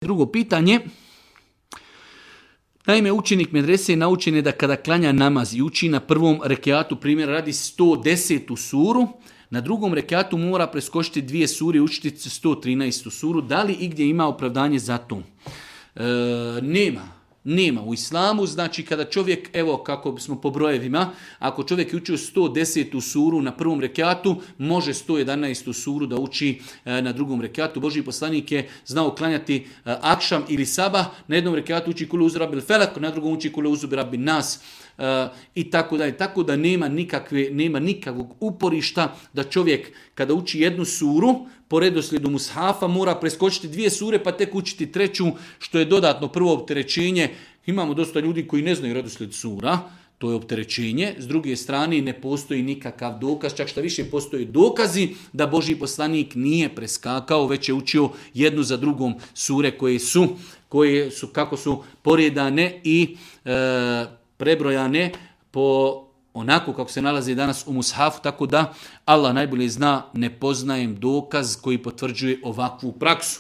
Drugo pitanje. Naime, učenik medrese naučen je da kada klanja namaz i uči na prvom rekiatu, primjer radi 110. suru, na drugom rekiatu mora preskočiti 2 sure i učiti 113. suru. Da li igdje ima opravdanje za to? Nema. U islamu, znači kada čovjek, evo kako smo po brojevima, ako čovjek je učio 110. suru na prvom rekiatu, može 111. suru da uči na drugom rekiatu. Božji poslanik je znao klanjati akšam ili sabah, na jednom rekiatu uči kule uzu rabil felak, na drugom uči kule uzu rabin nas. I tako dalje. Tako da nema nikakvog uporišta da čovjek kada uči jednu suru po redoslijedu mushafa mora preskočiti 2 sure pa tek učiti 3, što je dodatno prvo opterećenje. Imamo dosta ljudi koji ne znaju redoslijed sura, to je opterećenje. S druge strane ne postoji nikakav dokaz, čak šta više postoje dokazi da Božji poslanik nije preskakao, već je učio jednu za drugom sure koje su kako su poredane i prebrojane po onako kako se nalazi danas u mushafu, tako da Allah najbolje zna, ne poznajem dokaz koji potvrđuje ovakvu praksu.